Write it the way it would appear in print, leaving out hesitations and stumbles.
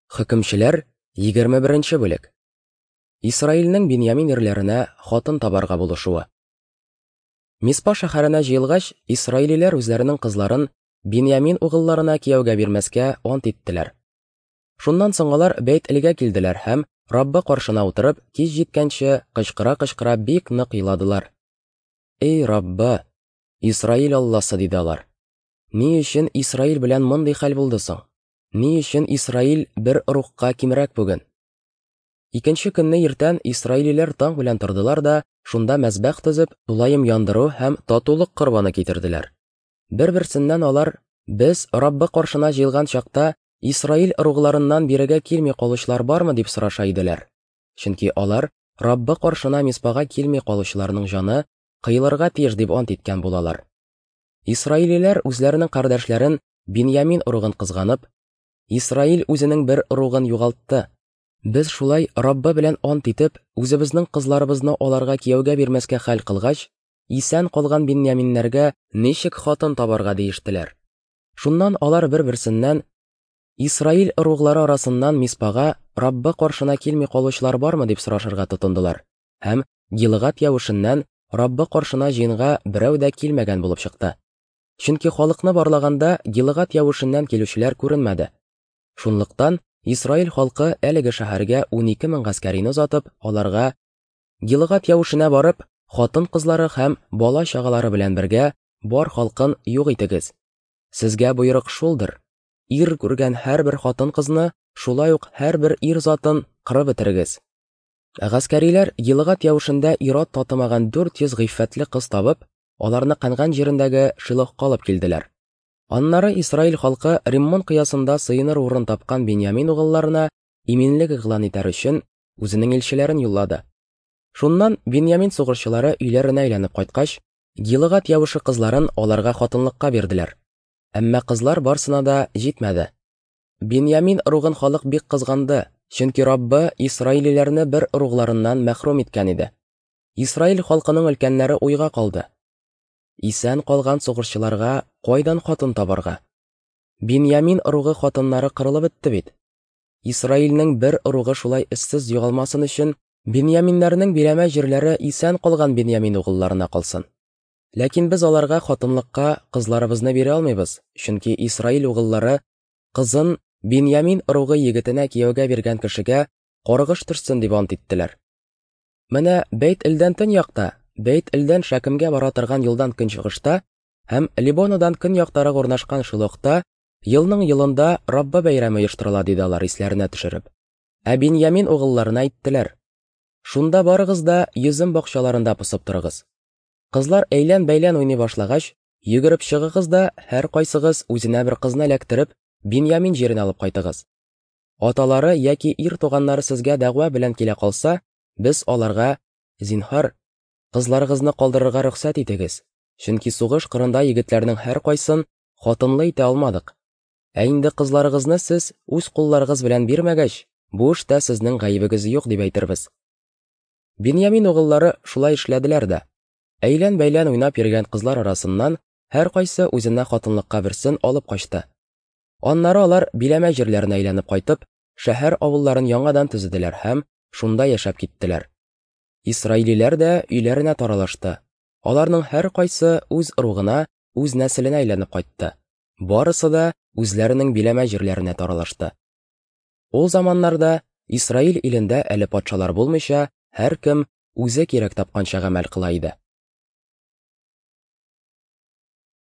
Хөкемчеләр, 21 нче бүлек. Исраилнең Биньямин ирләренә хатын табарга булышуы. Миспа шәһәренә җыелгач, исраилиләр үзләренең кызларын Биньямин угылларына кияүгә бирмәскә ант иттеләр. Шуннан соң алар Бәйт-Элгә килделәр һәм, Раббы каршына утырып, кич җиткәнче, кычкыра-кычкыра бик нык еладылар. Эй, Раббы, Исраил Алласы, диде алар, ни өчен Исраил белән мондый хәл булды соң? Ни өчен Исраил бер ыругка кимрәк бүген? Икенче көнне иртән исраилиләр таң белән тордылар да, шунда мәзбәх төзеп, тулаем яндыру һәм татулык корбаны китерделәр. Бер-берсеннән алар, Без Раббы каршына җыелган чакта Исраил ыругларыннан бирегә килми калучылар бармы дип сораша иделәр. Чөнки алар Раббы каршына Миспага килми калучыларның җаны кыелырга тиеш дип ант иткән булалар. Исраилиләр үзләренең кардәшләрен Биньямин ыругын кызганып, Исраил үзенең бер ыругын югалтты. Без шулай Раббы белән ант итеп, үзебезнең кызларыбызны аларга кияүгә бирмәскә хәл кылгач, исән калган биньяминнәргә ничек хатын табарга диештеләр. Шуннан алар бер-берсеннән, Исраил ыруглары арасыннан Миспага Раббы каршына килми калучылар бармы дип сорашырга тотындылар. Һәм Гилгад явышыннан Раббы каршына җыенга берәү дә килмәгән булып чыкты. Чөнки халыкны барлаганда Гилгад явышыннан килүчеләр күренмәде. Шунлыктан Исраил халкы әлеге шәһәргә 12 мең гаскәрине озатып, аларга Гилгад явышына барып, хатын-кызлары һәм бала-чагалары белән бергә бар халкын юк итегез. Сезгә боерык шулдыр: ир күргән һәрбер хатын-кызны, шулай ук һәрбер ир затын кырып бетерегез. Гаскәриләр Гилгад явышында ир-ат татымаган 400 гыйффәтле кыз табып, аларны Кәнган җирендәге Шилохка алып килделәр. Аннары Исраил халкы Риммон кыясында сыеныр урын тапкан Биньямин угылларына иминлек игълан итәр өчен үзенең илчеләрен юллады. Шуннан Биньямин сугышчылары өйләренә әйләнеп кайткач, Гилгад явышы кызларын аларга хатынлыкка бирделәр. Әмма кызлар барсына да җитмәде. Биньямин ыругын халык бик кызганды, чөнки Раббы исраилиләрне бер ыругларыннан мәхрүм иткән иде. Исраил халкының өлкәннәре уйга калды. Исән калган сугышчыларга кайдан хатын табарга? Биньямин ыругы хатыннары кырылып бетте бит. Исраилнең бер ыругы шулай эзсез югалмасын өчен, биньяминнәрнең биләмә җирләре исән калган Биньямин угылларына калсын. Ләкин без аларга хатынлыкка кызларыбызны бирә алмыйбыз, чөнки Исраил угыллары кызын Биньямин ыругы егетенә кияүгә биргән кешегә каргыш төшсен дип ант иттеләр. Менә Бәйт-Элдән төньякта, Бәйт-Элдән Шәкемгә бара торган юлдан көнчыгышта һәм Либонадан көньяктарак урнашкан Шилохта елның елында Раббы бәйрәме оештырыла, диде алар исләренә төшереп. Ә Биньямин угылларына әйттеләр: Шунда барыгыз да йөзем бакчаларында посып торыгыз. Кызлар әйлән-бәйлән уйный башлагач, йөгереп чыгыгыз да һәркайсыгыз үзенә бер кызны эләктереп, Биньямин җиренә алып кайтыгыз. Аталары яки ир туганнары сезгә дәгъва белән килә калса, без аларга, зинһар, кызларыгызны калдырырга рөхсәт итегез, чөнки сугыш кырында егетләрнең һәркайсын хатынлы итә алмадык. Ә инде кызларыгызны сез үз кулларыгыз белән бирмәгәч, бу эштә сезнең гаебегез юк дип әйтербез. Биньямин угыллары шулай эшләделәр дә. Әйлән-бәйлән уйнап йөргән кызлар арасыннан һәркайсы үзенә хатынлыкка берсен алып качты. Аннары алар биләмә җирләренә әйләнеп кайтып, шәһәр авылларын яңадан төзеделәр һәм шунда яшәп киттеләр. Исраилиләр дә өйләренә таралышты. Аларның һәркайсы үз ыругына, үз нәселенә әйләнеп кайтты. Барысы да үзләренең биләмә җирләренә таралышты. Ул заманнарда Исраил илендә әле патшалар булмыйча, һәркем үзе кирәк тапканча гамәл кыла иде.